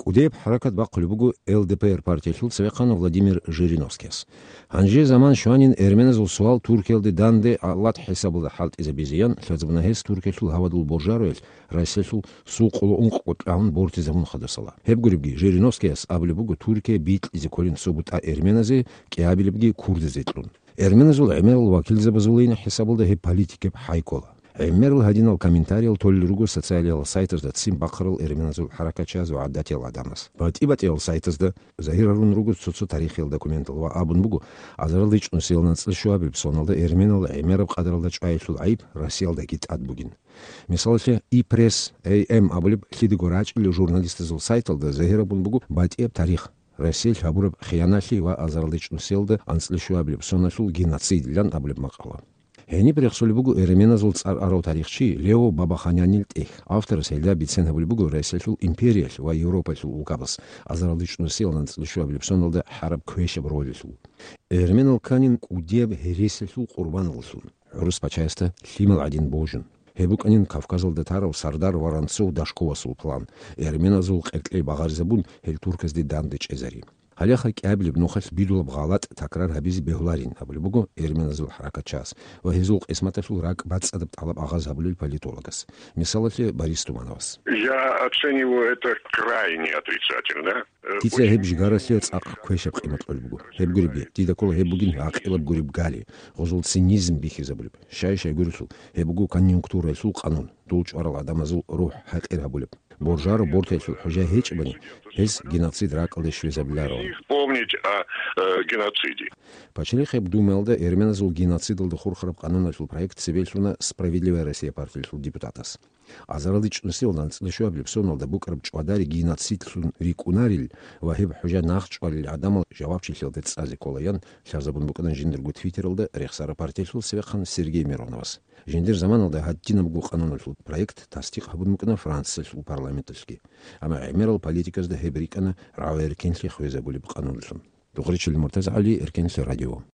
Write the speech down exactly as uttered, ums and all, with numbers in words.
УДФ хӀаракат бахъулеб буго ЛДПР партиялъул цевехъан Владимир Жириновскияс. Гьанже заман щванин эрменазул суал Туркиялде данде гӀалат хӀисабалда хӀалтӀизабизеян лъазабуна гьес Туркиялъул гьавадул боржаруялъ Россиялъул сукъуло ункъго тӀагьун бортизабун хадусала. Гьеб гуребги, Жириновскияс абулеб буго Туркия бикьизе кколин субутӀа эрменазе, кӀиабилебги курдазе кьун. Эрменазул гӀемерал вакилзабазулин хӀисабалда гьеб политикаб хӀай ккола. ГӀемерал гьадинал комментариял толел руго социалиял сайтазда ццин бахъарал эрменазул хӀаракатчияз ва гӀадатиял гӀадамаз. БатӀи-батӀиял сайтазда загьир гьарун руго цо-цо тарихиял документал ва абун буго, азарал ричӀнусиял анцӀила щуабилеб соналда эрменал гӀемераб къадаралда чӀваялъул гӀайиб Россиялдаги тӀад бугин. Мисалалъе, «Ипресс», «Эй Эм» абулеб лъидаго рачӀунел журналистазул сайталда загьир гьабун буго батӀияб тарих, Россиялъ гьабураб хияналъи ва азарал ричӀнусиялда анцӀила щуабилеб соналъул геноцидилан абулеб макъала. Гьениб рехсолеб буго эрменазул цӀар арав тарихчи Лео Бабаханян тӀехь. Авторас гьелда бицен гьабулеб буго Россиялъул империялъ ва Европаялъул улкабаз азарал ричӀнусиялда анцӀила щуабилеб соналда хӀараб квешаб ролалъул. Эрменал кканин кӀудияб гьересиялъул къурбаналлъун, гӀурус пачаясда лъимал гӀадин божун. Гьеб букӀанин Кавказалда тарав сардар Воронцов-Дашковасул план, эрменазул къеркьей багъаризабун, гьел турказде данде чӀезари. Гьалеха кӀиабилеб нухалъ бидулаб гъалатӀ такрар гьабизе бегьуларин абулеб буго эрменазул хӀаракатчияс ва гьезул къисматалъул ракӀ бацӀцӀадаб тӀалаб агъаз гьабулел политологас, мисалалъе, Борис Тумановас. Я оцениваю это крайне отрицательно. Э, Дица очень гьеб жигаралъе цӀакъ квешаб къимат кьолеб буго. Гьеб гуребги, дида ккола гьеб бугин гӀакъилаб гуреб гали, гъозул цинизм бихьизабулеб. Щай-щай гурелъул, гьеб буго конъюнктуралъул къанун, дул чӀварал гӀадамазул рухӀ хӀакъир гьабулеб. Боржаро бортаялъул хӀужа гьечӀебани, гьез геноцид ракӀалде щвезабиларо. Их помнить о, э, геноциде. Пачалихъеб Думаялда эрменазул геноцидалда хурхараб къануналъул проект цебе лъуна «Справедливая Россия» партиялъул депутатас. Азарал ричӀнусиялда анцӀила щуабилеб соналда букӀараб чӀвадари геноцидлъун рикӀкӀунарил ва гьеб хӀужа нахъчӀвалел гӀадамал жавабчилъиялде цӀазе кколаян лъазабун букӀана жиндирго твиттералда рехсараб партиялъул цевехъан Сергей Мироновас. Жиндир заманалда гьадинабго къануналъул проект тасдикъ гьабун букӀана Франциялъул парламенталъги. Амма гӀемерал политиказда гьеб рикӀкӀана рагӀу-эркенлъи хвезабулеб къануналъун. Духъричил МуртазагӀали, Эркенлъи радио.